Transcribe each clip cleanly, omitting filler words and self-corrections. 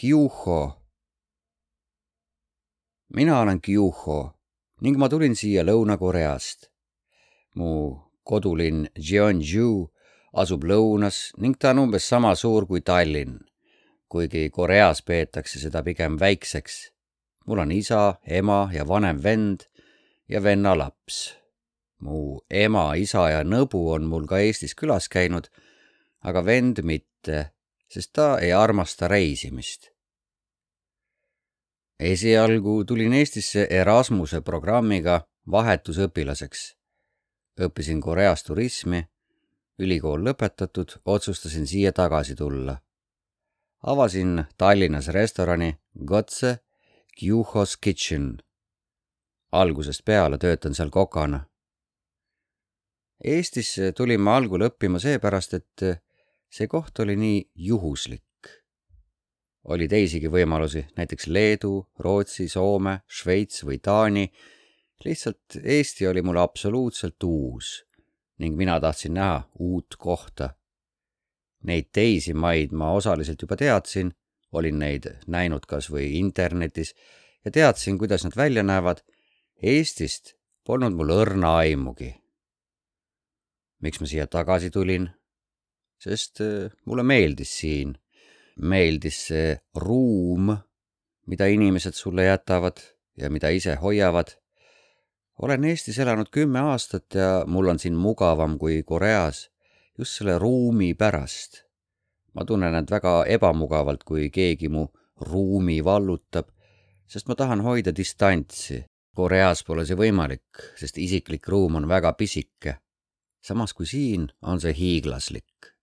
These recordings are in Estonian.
Kyuho. Mina olen Kyuho ning ma tulin siia Lõuna-Koreast. Mu kodulinn Jeonju asub lõunas ning ta on umbes sama suur kui Tallinn, kuigi Koreas peetakse seda pigem väikseks. Mul on isa, ema ja vanem vend ja venna laps. Mu ema, isa ja nõbu on mul ka Eestis külas käinud, aga vend mitte, sest ta ei armasta reisimist. Esialgu tulin Eestisse Erasmuse programmiga vahetusõpilaseks. Õppisin Koreas turismi, ülikool lõpetatud, otsustasin siia tagasi tulla. Avasin Tallinnas restorani Gotse Kyuho's Kitchen. Algusest peale töötan seal kokana. Eestisse tulin ma algul õppima seepärast, et see koht oli nii juhuslik. Oli teisigi võimalusi, näiteks Leedu, Rootsi, Soome, Šveits või Taani. Lihtsalt Eesti oli mulle absoluutselt uus ning mina tahtsin näha uut kohta. Neid teisi maid ma osaliselt juba teadsin, olin neid näinud kas või internetis ja teadsin, kuidas nad välja näevad. Eestist polnud mul õrna aimugi. Miks ma siia tagasi tulin? Sest mulle meeldis siin. Meeldis see ruum, mida inimesed sulle jätavad ja mida ise hoiavad. Olen Eestis elanud 10 aastat ja mul on siin mugavam kui Koreas just selle ruumi pärast. Ma tunnen end väga ebamugavalt, kui keegi mu ruumi vallutab, sest ma tahan hoida distantsi. Koreas pole see võimalik, sest isiklik ruum on väga pisike. Samas kui siin on see hiiglaslik.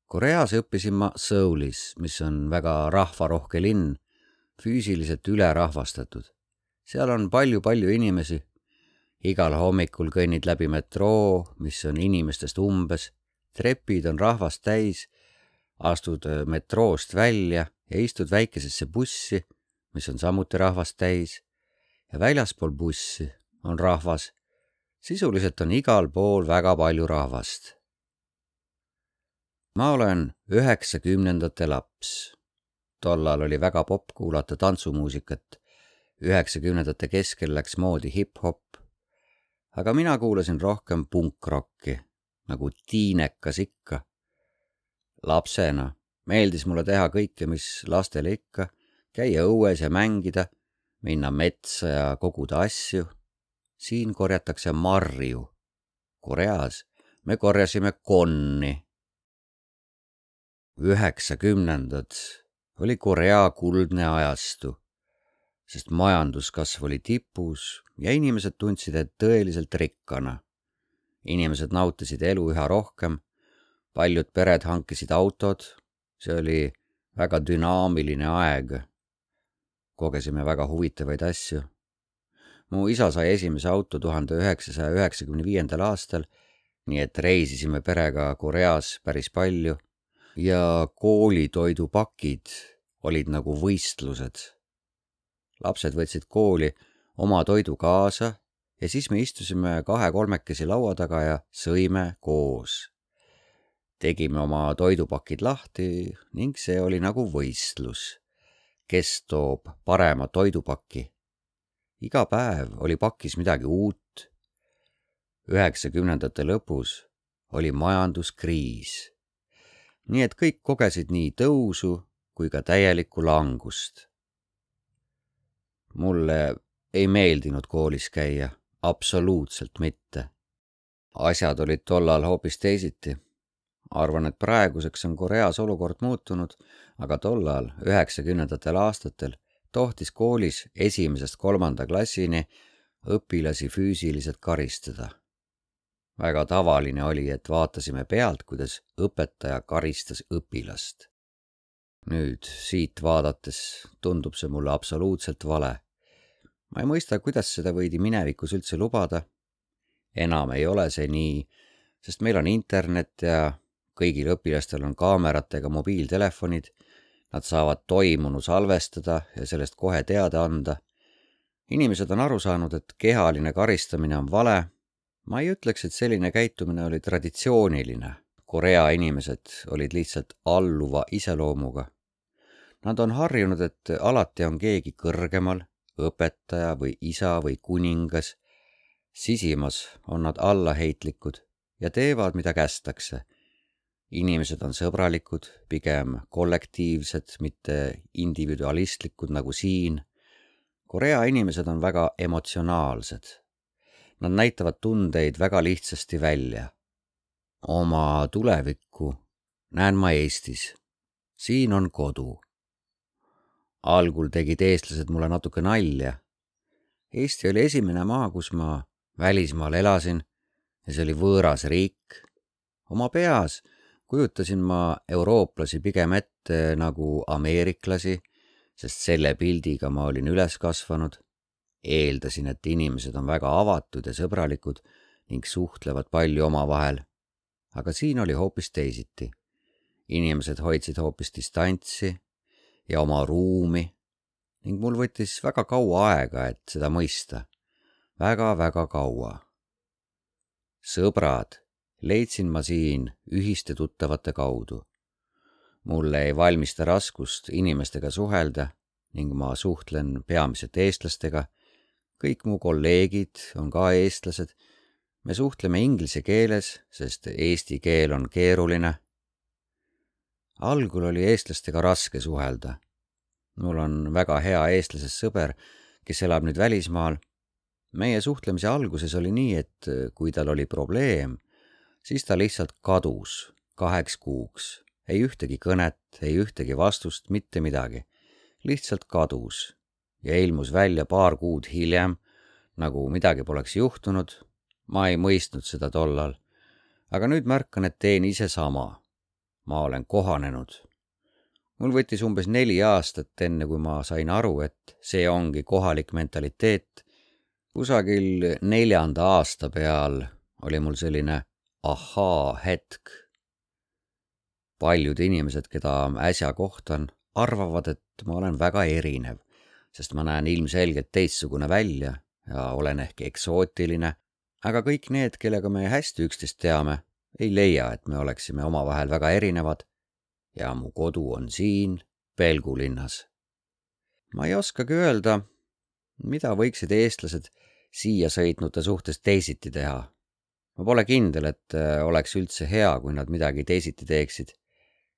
Koreas õppisin ma Soulis, mis on väga rahvarohke linn, füüsiliselt ülerahvastatud. Seal on palju inimesi. Igal hommikul kõnnid läbi metroo, mis on inimestest umbes. Trepid on rahvast täis. Astud metroost välja ja istud väikesesse bussi, mis on samuti rahvast täis. Ja väljaspool bussi on rahvas. Sisuliselt on igal pool väga palju rahvast. Ma olen 90ndate laps. Tollal oli väga popp kuulata tantsumuusikat. 90ndate keskel läks moodi hip-hop. Aga mina kuulasin rohkem punkrocki, nagu tiinekas ikka. Lapsena meeldis mulle teha kõike, mis lastele ikka, käia õues ja mängida, minna metsa ja koguda asju. Siin korjatakse marju. Koreas me korjasime konni. 90ndad oli Korea kuldne ajastu, sest majanduskasv oli tipus ja inimesed tundsid end tõeliselt rikkana. Inimesed nautisid elu üha rohkem, paljud pered hankisid autod, see oli väga dünaamiline aeg. Kogesime väga huvitavaid asju. Mu isa sai esimese auto 1995. aastal, nii et reisisime perega Koreas päris palju ja koolitoidupakid olid nagu võistlused. Lapsed võtsid kooli oma toidu kaasa ja siis me istusime 2-3 laua taga ja sõime koos. Tegime oma toidupakid lahti ning see oli nagu võistlus. Kes toob parema toidupaki? Iga päev oli pakis midagi uut. 90ndate lõpus oli majanduskriis. Nii et kõik kogesid nii tõusu kui ka täielikku langust. Mulle ei meeldinud koolis käia, absoluutselt mitte. Asjad olid tollal hoopis teisiti. Arvan, et praeguseks on Koreas olukord muutunud, aga tollal 90ndatel aastatel tohtis koolis 1.–3. klassini õpilasi füüsiliselt karistada. Väga tavaline oli, et vaatasime pealt, kuidas õpetaja karistas õpilast. Nüüd siit vaadates tundub see mulle absoluutselt vale. Ma ei mõista, kuidas seda võidi minevikus üldse lubada. Enam ei ole see nii, sest meil on internet ja kõigil õpilastel on kaameratega mobiiltelefonid. Nad saavad toimunu salvestada ja sellest kohe teada anda. Inimesed on aru saanud, et kehaline karistamine on vale. Ma ei ütleks, et selline käitumine oli traditsiooniline. Korea inimesed olid lihtsalt alluva iseloomuga. Nad on harjunud, et alati on keegi kõrgemal, õpetaja või isa või kuningas. Sisimas on nad allaheitlikud ja teevad, mida kästakse. Inimesed on sõbralikud, pigem kollektiivsed, mitte individualistlikud nagu siin. Korea inimesed on väga emotsionaalsed. Nad näitavad tundeid väga lihtsasti välja. Oma tulevikku näen ma Eestis. Siin on kodu. Algul tegid eestlased mulle natuke nalja. Eesti oli esimene maa, kus ma välismaal elasin ja see oli võõras riik. Oma peas kujutasin ma eurooplasi pigem ette nagu ameeriklasi, sest selle pildiga ma olin üles kasvanud. Eeldasin, et inimesed on väga avatud ja sõbralikud ning suhtlevad palju omavahel. Aga siin oli hoopis teisiti. Inimesed hoidsid hoopis distantsi ja oma ruumi ning mul võttis väga kaua aega, et seda mõista. Väga kaua. Sõbrad leidsin ma siin ühiste tuttavate kaudu. Mulle ei valmista raskust inimestega suhelda ning ma suhtlen peamiselt eestlastega. Kõik mu kolleegid on ka eestlased. Me suhtleme inglise keeles, sest eesti keel on keeruline. Algul oli eestlastega raske suhelda. Mul on väga hea eestlasest sõber, kes elab nüüd välismaal. Meie suhtlemise alguses oli nii, et kui tal oli probleem, siis ta lihtsalt kadus 2 kuuks. Ei ühtegi kõnet, ei ühtegi vastust, mitte midagi. Lihtsalt kadus ja ilmus välja 2 kuud hiljem, nagu midagi poleks juhtunud. Ma ei mõistnud seda tollal. Aga nüüd märkan, et teen ise sama. Ma olen kohanenud. Mul võttis umbes 4 aastat enne, kui ma sain aru, et see ongi kohalik mentaliteet. Kusagil 4. aasta peal oli mul selline ahaa hetk. Paljud inimesed, keda äsja kohtan, arvavad, et ma olen väga erinev, sest ma näen ilmselgelt teistsugune välja ja olen ehk eksootiline, aga kõik need, kellega me hästi üksteist teame, ei leia, et me oleksime omavahel väga erinevad ja mu kodu on siin, Pelgu linnas. Ma ei oskagi öelda, mida võiksid eestlased siia sõitnute suhtes teisiti teha. Ma pole kindel, et oleks üldse hea, kui nad midagi teisiti teeksid.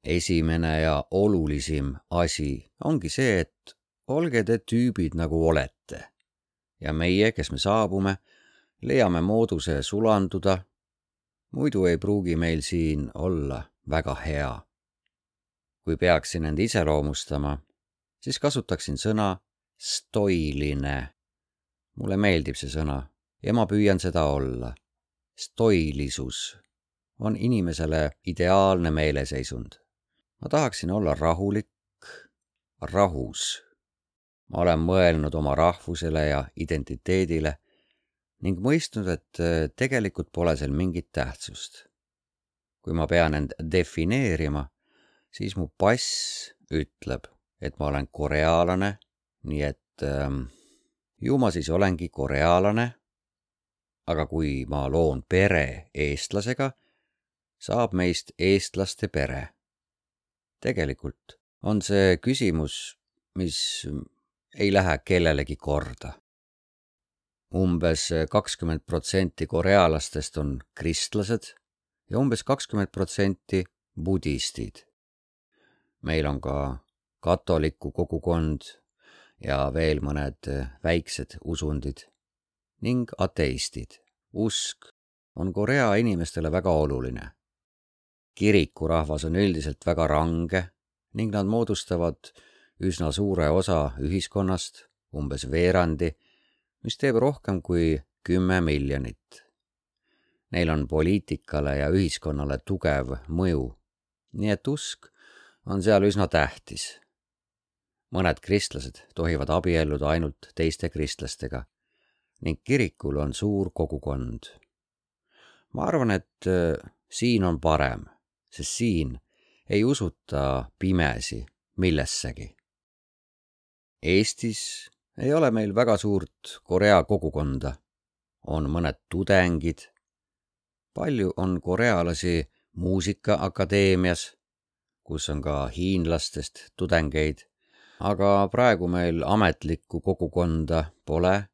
Esimene ja olulisim asi ongi see, et olge te tüübid nagu olete. Ja meie, kes me saabume, leiame mooduse sulanduda. Muidu ei pruugi meil siin olla väga hea. Kui peaksin end iseloomustama, siis kasutaksin sõna stoiline. Mulle meeldib see sõna ja ma püüan seda olla. Stoilisus on inimesele ideaalne meeleseisund. Ma tahaksin olla rahulik, rahus. Ma olen mõelnud oma rahvusele ja identiteedile ning mõistnud, et tegelikult pole seal mingit tähtsust. Kui ma pean end defineerima, siis mu pass ütleb, et ma olen koreaalane, nii et ju ma siis olengi koreaalane, aga kui ma loon pere eestlasega, saab meist eestlaste pere. Tegelikult on see küsimus, mis ei lähe kellelegi korda. Umbes 20% korealastest on kristlased ja umbes 20% budistid. Meil on ka katoliku kogukond ja veel mõned väiksed usundid ning ateistid. Usk on Korea inimestele väga oluline. Kirikurahvas on üldiselt väga range ning nad moodustavad üsna suure osa ühiskonnast, umbes veerandi, mis teeb rohkem kui 10 miljonit. Neil on poliitikale ja ühiskonnale tugev mõju, nii et usk on seal üsna tähtis. Mõned kristlased tohivad abielluda ainult teiste kristlastega ning kirikul on suur kogukond. Ma arvan, et siin on parem, sest siin ei usuta pimesi millessegi. Eestis ei ole meil väga suurt Korea kogukonda. On mõned tudengid. Palju on korealasi muusikaakadeemias, kus on ka hiinlastest tudengeid aga praegu meil ametlikku kogukonda pole,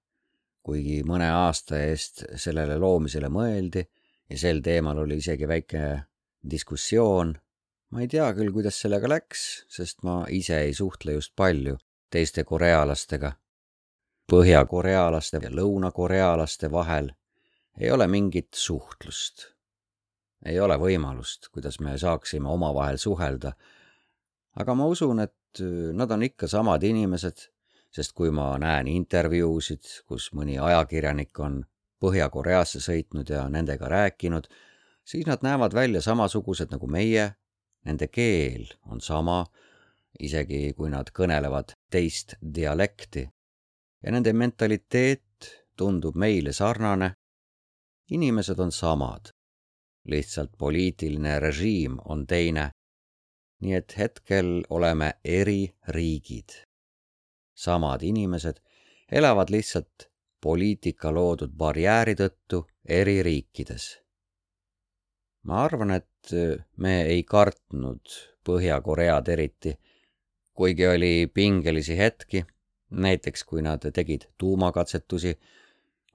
kuigi mõne aasta eest sellele loomisele mõeldi ja sel teemal oli isegi väike diskussioon. Ma ei tea küll, kuidas sellega läks, sest ma ise ei suhtle just palju teiste korealastega. Põhja-korealaste ja lõuna-korealaste vahel ei ole mingit suhtlust. Ei ole võimalust, kuidas me saaksime omavahel suhelda. Aga ma usun, et nad on ikka samad inimesed, sest kui ma näen intervjuusid, kus mõni ajakirjanik on Põhja-Koreasse sõitnud ja nendega rääkinud, siis nad näevad välja samasugused nagu meie, nende keel on sama, isegi kui nad kõnelevad teist dialekti. Ja nende mentaliteet tundub meile sarnane. Inimesed on samad, lihtsalt poliitiline režiim on teine, nii et hetkel oleme eri riigid. Samad inimesed elavad lihtsalt poliitika loodud barjääri tõttu eri riikides. Ma arvan, et me ei kartnud Põhja-Koread eriti, kuigi oli pingelisi hetki, näiteks kui nad tegid tuumakatsetusi,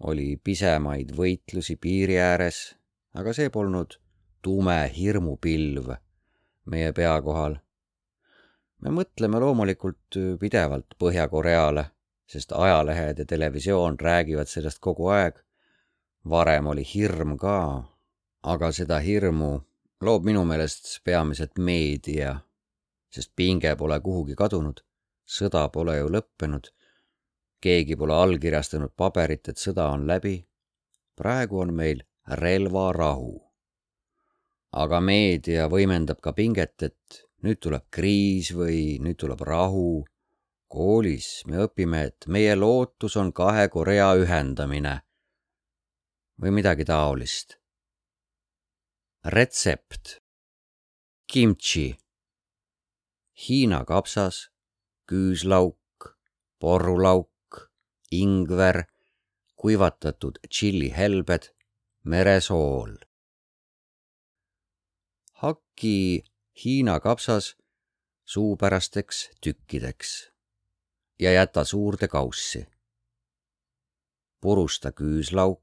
oli pisemaid võitlusi piiri ääres, aga see polnud tume hirmupilv meie pea kohal. Me mõtleme loomulikult pidevalt Põhja-Koreale, sest ajalehed ja televisioon räägivad sellest kogu aeg. Varem oli hirm ka, aga seda hirmu loob minu meelest peamiselt meedia, sest pinge pole kuhugi kadunud. Sõda pole ju lõppenud. Keegi pole allkirjastanud paberit, et sõda on läbi. Praegu on meil relvarahu. Aga meedia võimendab ka pinget, et nüüd tuleb kriis või nüüd tuleb rahu. Koolis me õpime, et meie lootus on 2 Korea ühendamine või midagi taolist. Retsept. Kimchi. Hiina kapsas, küüslauk, porrulauk, ingver, kuivatatud tšillihelbed, meresool. Hakki Hiina kapsas suupärasteks tükkideks ja jäta suurde kaussi. Purusta küüslauk,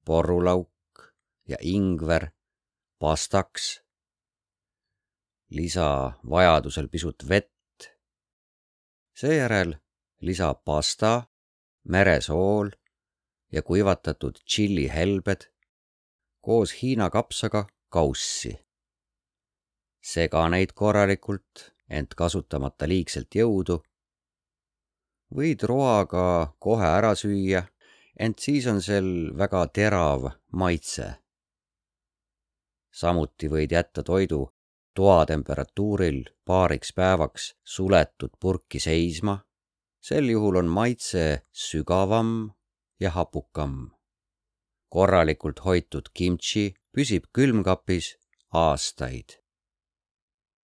porrulauk ja ingver pastaks. Lisa vajadusel pisut vett. Seejärel lisa pasta, meresool ja kuivatatud tšillihelbed koos Hiina kapsaga kaussi. Sega neid korralikult, ent kasutamata liigselt jõudu. Võid roaga kohe ära süüa, ent siis on sel väga terav maitse. Samuti võid jätta toidu toatemperatuuril paariks päevaks suletud purki seisma. Sel juhul on maitse sügavam ja hapukam. Korralikult hoitud kimchi püsib külmkapis aastaid.